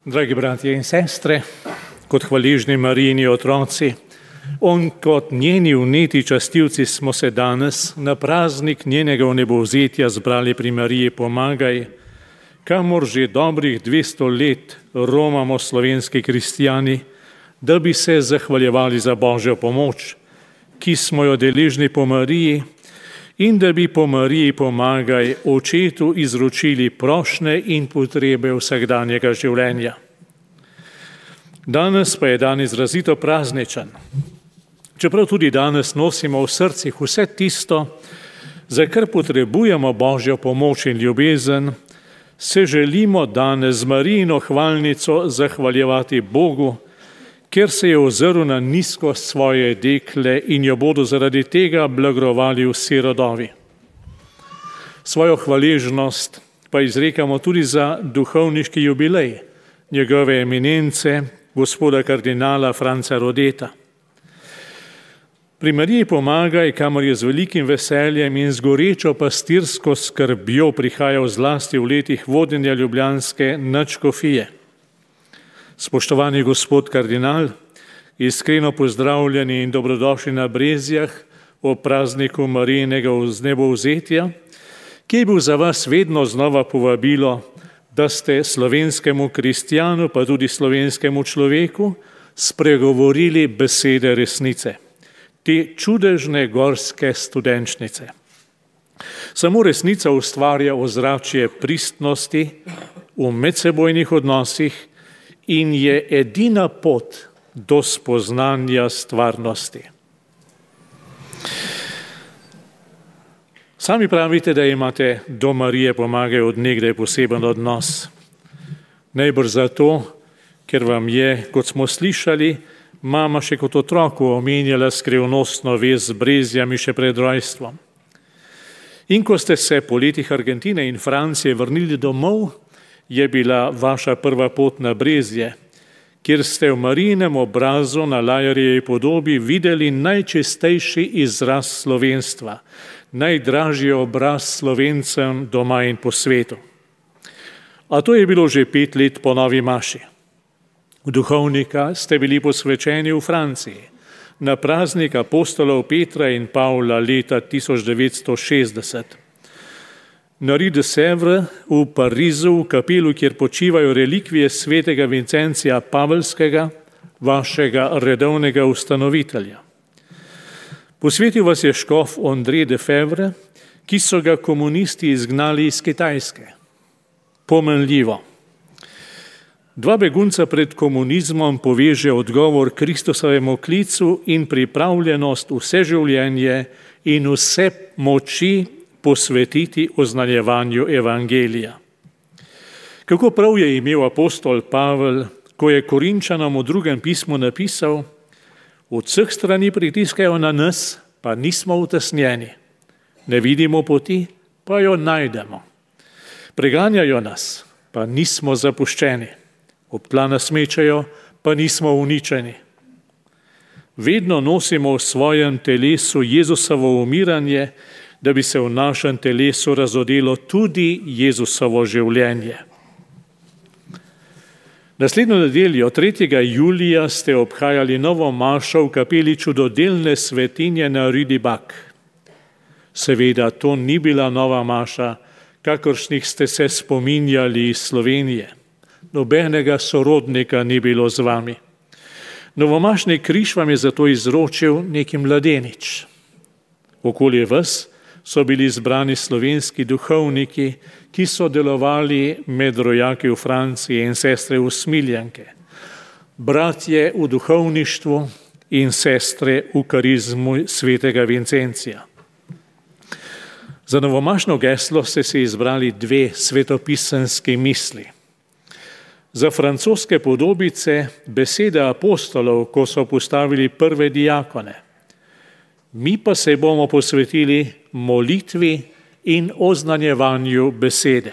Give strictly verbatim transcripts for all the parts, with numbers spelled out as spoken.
Dragi bratje in sestre, kot hvaležni Marijini otroci, on kot njeni vneti častilci smo se danes na praznik njenega vnebovzetja zbrali pri Mariji Pomagaj, kamor že dobrih dvesto let romamo slovenski kristjani, da bi se zahvaljevali za Božjo pomoč, ki smo jo deležni po Mariji, in da bi po Mariji Pomagaj očetu izročili prošnje in potrebe vsakdanjega življenja. Danes pa je dan izrazito prazničen. Čeprav tudi danes nosimo v srcih vse tisto, za kar potrebujemo Božjo pomoč in ljubezen, se želimo danes z Marijino hvalnico zahvaljevati Bogu, ker se je ozrl na nizkost svoje dekle in jo bodo zaradi tega blagrovali vsi rodovi. Svojo hvaležnost pa izrekamo tudi za duhovniški jubilej njegove eminence, gospoda kardinala Franca Rodeta. Pri Mariji Pomagaj, kamor je z velikim veseljem in z gorečo pastirsko skrbjo prihajal zlasti v letih vodenja ljubljanske nadškofije. Spoštovani gospod kardinal, iskreno pozdravljeni in dobrodošli na Brezjah ob prazniku Marijinega vnebovzetja, ki je bil za vas vedno znova povabilo, da ste slovenskemu kristjanu, pa tudi slovenskemu človeku, spregovorili besede resnice, te čudežne gorske studenčnice. Samo resnica ustvarja ozračje pristnosti v medsebojnih odnosih in je edina pot do spoznanja stvarnosti. Sami pravite, da imate do Marije Pomagaj od nekdaj poseben odnos. Najbrž zato, ker vam je, kot smo slišali, mama še kot otroku omenjala skrivnostno vez z Brezjami še pred rojstvom. In ko ste se po letih Argentine in Francije vrnili domov, je bila vaša prva pot na Brezje, kjer ste v Marijinem obrazu na Lajarjevi podobi videli najčistejši izraz slovenstva, najdražji obraz Slovencem doma in po svetu. A to je bilo že pet let po novi maši. V duhovnika ste bili posvečeni v Franciji, na praznik apostolov Petra in Pavla leta tisoč devetsto šestdeset. Na Rue de Sèvres v Parizu, v kapelu, kjer počivajo relikvije svetega Vincencija Pavelskega, vašega redovnega ustanovitelja. Posvetil vas je škof André de Fevre, ki so ga komunisti izgnali iz Kitajske. Pomenljivo. Dva begunca pred komunizmom poveže odgovor Kristusovemu klicu in pripravljenost vse življenje in vse moči posvetiti oznanjevanju evangelija. Kako prav je imel apostol Pavel, ko je Korinčanom v drugem pismu napisal: od vseh strani pritiskajo na nas, pa nismo utesnjeni. Ne vidimo poti, pa jo najdemo. Preganjajo nas, pa nismo zapuščeni. Ob tla nas mečejo, pa nismo uničeni. Vedno nosimo v svojem telesu Jezusovo umiranje, da bi se v našem telesu razodelo tudi Jezusovo življenje. Naslednjo nedeljo, tretjega julija, ste obhajali novo mašo v kapeli čudodelne svetinje na Rue du Bac. Seveda, to ni bila nova maša, kakršnih ste se spominjali iz Slovenije. Nobenega sorodnika ni bilo z vami. Novomašni križ vam je zato izročil neki mladenič. Okoli vas so bili zbrani slovenski duhovniki, ki so delovali med rojaki v Franciji in sestre usmiljenke, bratje v duhovništvu in sestre v karizmu svetega Vincencija. Za novomašno geslo ste si izbrali dve svetopisanski misli. Za francoske podobice besede apostolov, ko so postavili prve diakone. Mi pa se bomo posvetili molitvi in oznanjevanju besede.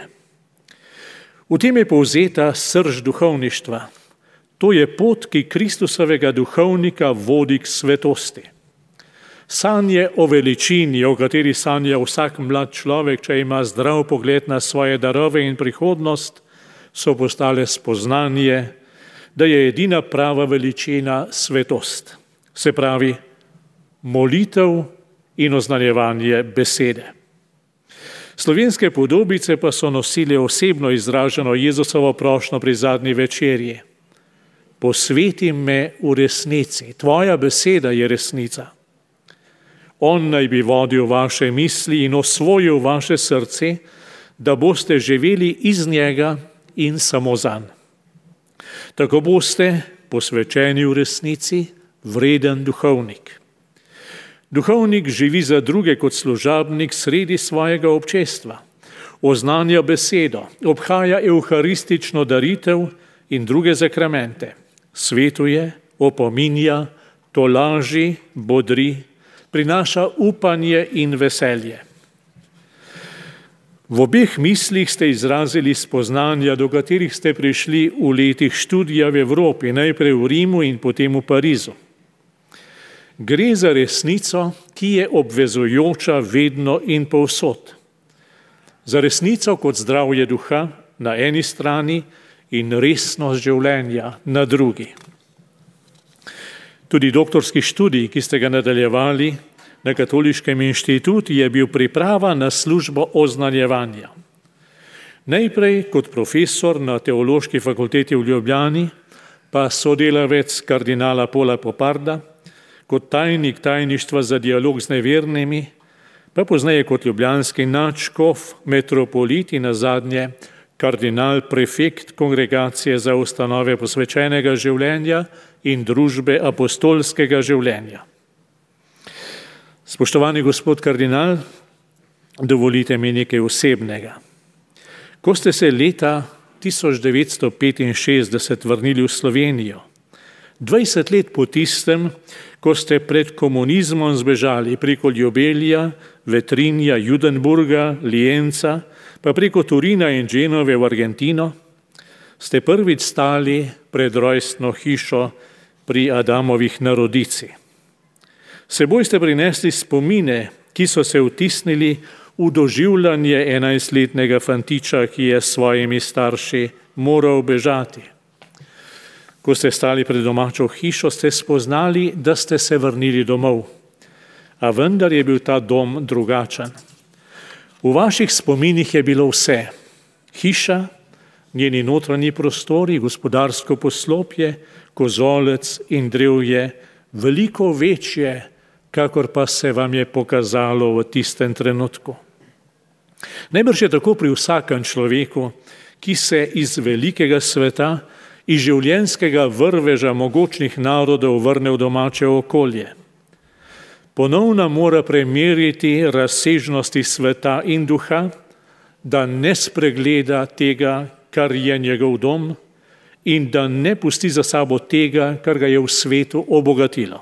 V tem je povzeta srž duhovništva. To je pot, ki Kristusovega duhovnika vodi k svetosti. Sanje o veličini, o kateri sanja vsak mlad človek, če ima zdrav pogled na svoje darove in prihodnost, so postale spoznanje, da je edina prava veličina svetost, se pravi molitev in oznanjevanje besede. Slovenske podobice pa so nosile osebno izraženo Jezusovo prošnjo pri zadnji večerji. Posveti me v resnici, tvoja beseda je resnica. On naj bi vodil vaše misli in osvojil vaše srce, da boste živeli iz njega in samo zanj. Tako boste posvečeni v resnici, vreden duhovnik. Duhovnik živi za druge kot služabnik sredi svojega občestva, oznanja besedo, obhaja evharistično daritev in druge zakramente, svetuje, opominja, tolaži, bodri, prinaša upanje in veselje. V obeh mislih ste izrazili spoznanja, do katerih ste prišli v letih študija v Evropi, najprej v Rimu in potem v Parizu. Gre za resnico, ki je obvezujoča vedno in povsod. Za resnico kot zdravje duha na eni strani in resnost življenja na drugi. Tudi doktorski študij, ki ste ga nadaljevali na Katoliškem inštitutu, je bil priprava na službo oznanjevanja. Najprej kot profesor na Teološki fakulteti v Ljubljani, pa sodelavec kardinala Pola Poparda, kot tajnik tajništva za dialog z nevernimi, pa pozneje kot ljubljanski nadškof, metropolit in nazadnje kardinal prefekt Kongregacije za ustanove posvečenega življenja in družbe apostolskega življenja. Spoštovani gospod kardinal, dovolite mi nekaj osebnega. Ko ste se leta tisoč devetsto petinšestdeset vrnili v Slovenijo, dvajset let po tistem, ko ste pred komunizmom zbežali preko Ljubelja, Vetrinja, Judenburga, Lienca, pa preko Turina in Genove v Argentino, ste prvič stali pred rojstno hišo pri Adamovih na Rodici. Seboj ste prinesli spomine, ki so se vtisnili v doživljanje enajstletnega fantiča, ki je s svojimi starši moral bežati. Ko ste stali pred domačo hišo, ste spoznali, da ste se vrnili domov. A vendar je bil ta dom drugačen. V vaših spominih je bilo vse. Hiša, njeni notranji prostori, gospodarsko poslopje, kozolec in drevje, veliko večje, kakor pa se vam je pokazalo v tistem trenutku. Najbrž je tako pri vsakem človeku, ki se iz velikega sveta, iz življenjskega vrveža mogočnih narodov vrne v domače okolje. Ponovno mora premeriti razsežnosti sveta in duha, da ne spregleda tega, kar je njegov dom, in da ne pusti za sabo tega, kar ga je v svetu obogatilo.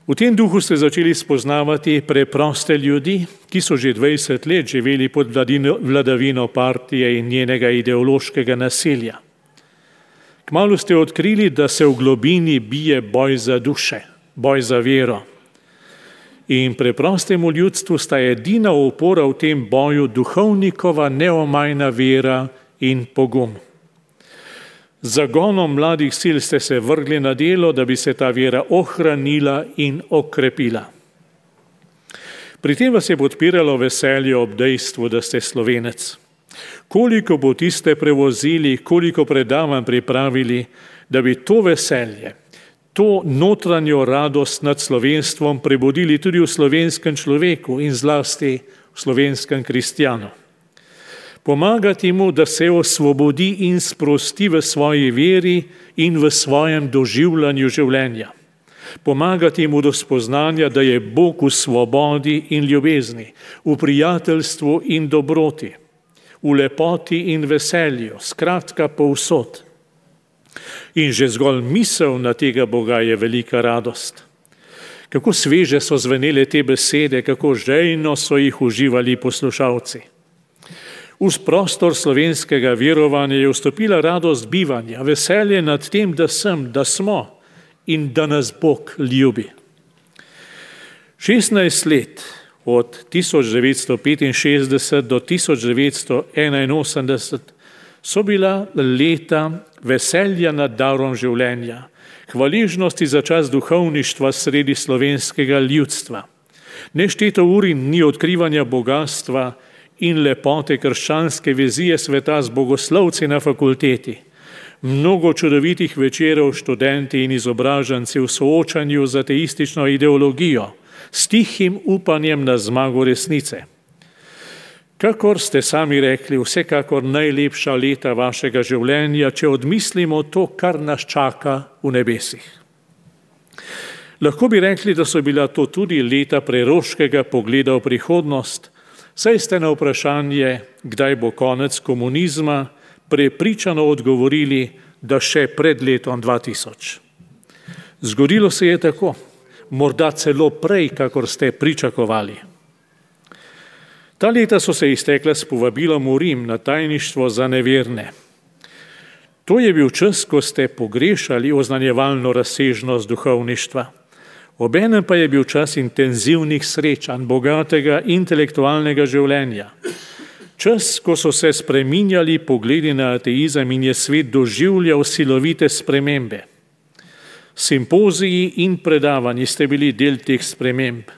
V tem duhu ste začeli spoznavati preproste ljudi, ki so že dvajset let živeli pod vladino, vladavino partije in njenega ideološkega nasilja. Kmalu ste odkrili, da se v globini bije boj za duše, boj za vero. In preprostemu ljudstvu sta edina opora v tem boju duhovnikova neomajna vera in pogum. Z zagonom mladih sil ste se vrgli na delo, da bi se ta vera ohranila in okrepila. Pri tem vas je podpiralo veselje ob dejstvu, da ste Slovenec. Koliko poti ste prevozili, koliko predavanj pripravili, da bi to veselje, to notranjo radost nad slovenstvom prebudili tudi v slovenskem človeku in zlasti v slovenskem kristjanu. Pomagati mu, da se osvobodi in sprosti v svoji veri in v svojem doživljanju življenja. Pomagati mu do spoznanja, da je Bog v svobodi in ljubezni, v prijateljstvu in dobroti, v lepoti in veselju, skratka povsod. In že zgolj misel na tega Boga je velika radost. Kako sveže so zvenele te besede, kako žejno so jih uživali poslušalci. V prostor slovenskega verovanja je vstopila radost bivanja, veselje nad tem, da sem, da smo in da nas Bog ljubi. šestnajst let od tisoč devetsto petinšestdeset do tisoč devetsto enainosemdeset so bila leta veselja nad darom življenja, hvaležnosti za čas duhovništva sredi slovenskega ljudstva. Nešteto ur in dni odkrivanja bogatstva in lepote krščanske vizije sveta z bogoslovci na fakulteti. Mnogo čudovitih večerov študenti in izobraženci v soočanju z ateistično ideologijo, s tihim upanjem na zmago resnice. Kakor ste sami rekli, vsekakor najlepša leta vašega življenja, če odmislimo to, kar nas čaka v nebesih. Lahko bi rekli, da so bila to tudi leta preroškega pogleda v prihodnost, saj ste na vprašanje, kdaj bo konec komunizma, prepričano odgovorili, da še pred letom dva tisoč. Zgodilo se je tako, morda celo prej, kakor ste pričakovali. Ta leta so se iztekla s povabilom v Rim na tajništvo za neverne. To je bil čas, ko ste pogrešali oznanjevalno razsežnost duhovništva. Obenem pa je bil čas intenzivnih srečanj, bogatega intelektualnega življenja. Čas, ko so se spreminjali pogledi na ateizem in je svet doživljal silovite spremembe. Simpoziji in predavanji ste bili del teh sprememb.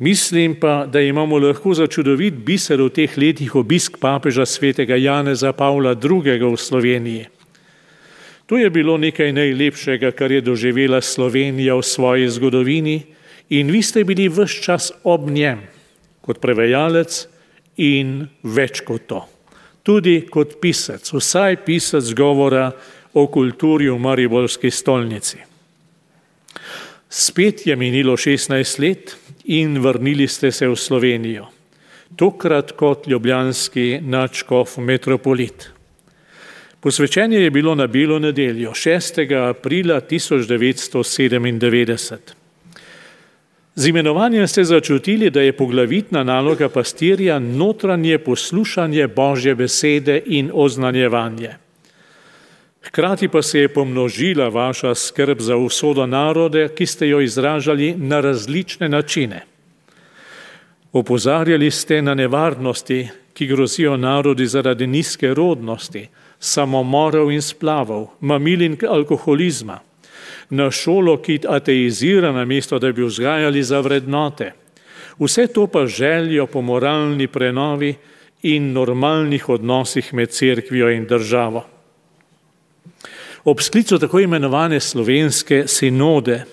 Mislim pa, da imamo lahko za čudovit biser v teh letih obisk papeža svetega Janeza Pavla drugega v Sloveniji. To je bilo nekaj najlepšega, kar je doživela Slovenija v svoji zgodovini in vi ste bili ves čas ob njem, kot prevajalec in več kot to. Tudi kot pisec, vsaj pisec govora o kulturi v mariborski stolnici. Spet je minilo šestnajst let in vrnili ste se v Slovenijo, tokrat kot ljubljanski nadškof metropolit. Posvečenje je bilo na Belo nedeljo, šestega aprila tisoč devetsto sedemindevetdeset. Z imenovanjem ste začutili, da je poglavitna naloga pastirja notranje poslušanje Božje besede in oznanjevanje. Hkrati pa se je pomnožila vaša skrb za usodo narode, ki ste jo izražali na različne načine. Opozarjali ste na nevarnosti, ki grozijo narodi zaradi nizke rodnosti, samomorov in splavov, mamil in alkoholizma, na šolo, ki ateizira namesto, da bi vzgajali za vrednote. Vse to pa željo po moralni prenovi in normalnih odnosih med cerkvijo in državo. Ob sklicu tako imenovane slovenske sinode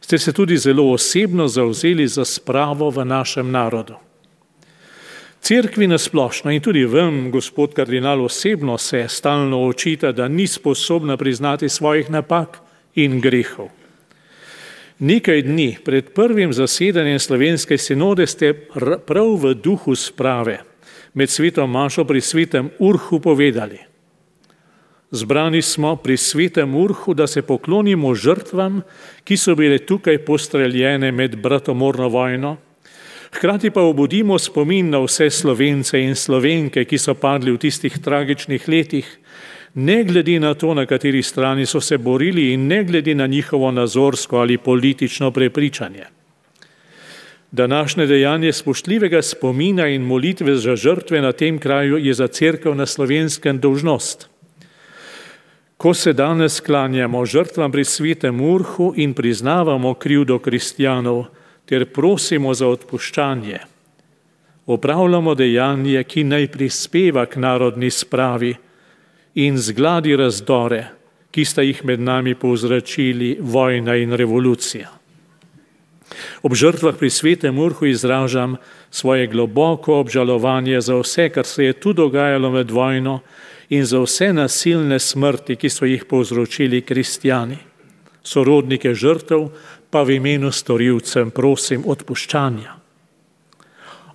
ste se tudi zelo osebno zavzeli za spravo v našem narodu. Cerkvi nasplošno in tudi vam, gospod kardinal, osebno se stalno očita, da ni sposobna priznati svojih napak in grehov. Nekaj dni pred prvim zasedanjem slovenske sinode ste prav v duhu sprave med svetom mašo pri svetem Urhu povedali: Zbrani smo pri svetem Urhu, da se poklonimo žrtvam, ki so bile tukaj postreljene med bratomorno vojno, hkrati pa obudimo spomin na vse Slovence in Slovenke, ki so padli v tistih tragičnih letih, ne glede na to, na kateri strani so se borili in ne glede na njihovo nazorsko ali politično prepričanje. Današnje dejanje spoštljivega spomina in molitve za žrtve na tem kraju je za cerkev na Slovenskem dolžnost. Ko se danes klanjamo žrtvam pri svetem Urhu in priznavamo krivdo kristjanov ter prosimo za odpuščanje, opravljamo dejanje, ki naj prispeva k narodni spravi in zgladi razdore, ki sta jih med nami povzročili vojna in revolucija. Ob žrtvah pri svetem Urhu izražam svoje globoko obžalovanje za vse, kar se je tu dogajalo med vojno in za vse nasilne smrti, ki so jih povzročili kristjani. Sorodnike žrtev pa v imenu storilcem prosim odpuščanja.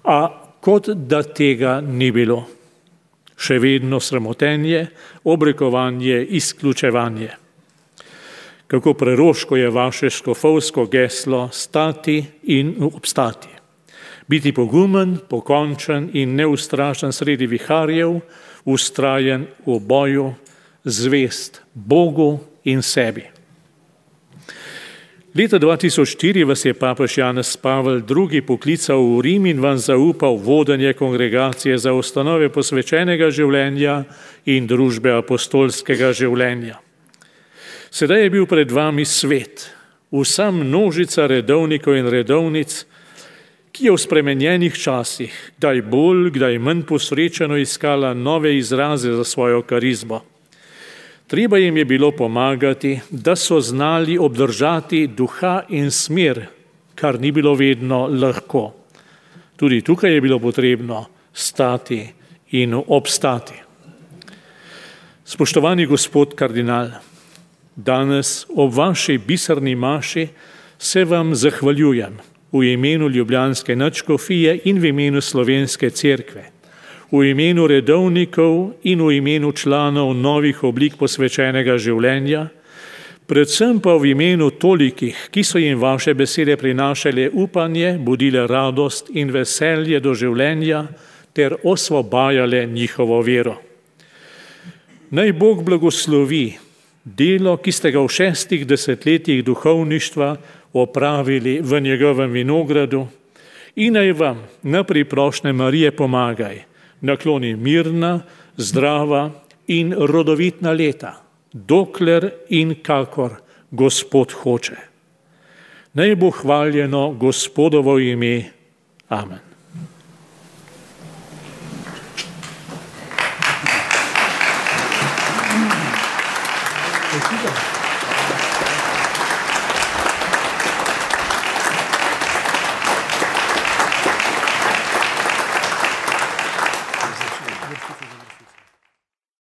A kot da tega ni bilo. Še vedno sramotenje, obrekovanje, izključevanje. Kako preroško je vaše škofovsko geslo stati in obstati. Biti pogumen, pokončen in neustrašen sredi viharjev, ustrajen v boju, zvest Bogu in sebi. Leta dva tisoč štiri vas je papež Janez Pavel drugi. poklical v Rim in vam zaupal vodenje kongregacije za ustanove posvečenega življenja in družbe apostolskega življenja. Sedaj je bil pred vami svet, vsa množica redovnikov in redovnic, ki je v spremenjenih časih, kdaj bolj, kdaj manj posrečeno iskala nove izraze za svojo karizmo. Treba jim je bilo pomagati, da so znali obdržati duha in smer, kar ni bilo vedno lahko. Tudi tukaj je bilo potrebno stati in obstati. Spoštovani gospod kardinal, danes ob vaši biserni maši se vam zahvaljujem v imenu ljubljanske nadškofije in v imenu slovenske cerkve, v imenu redovnikov in v imenu članov novih oblik posvečenega življenja, predvsem pa v imenu tolikih, ki so jim vaše besede prinašale upanje, budile radost in veselje do življenja ter osvobajale njihovo vero. Naj Bog blagoslovi delo, ki ste ga v šestih desetletjih duhovništva opravili v njegovem vinogradu, in naj vam na priprošnje Marije pomagaj, nakloni mirna, zdrava in rodovitna leta, dokler in kakor Gospod hoče. Naj bo hvaljeno Gospodovo ime. Amen. Thank you.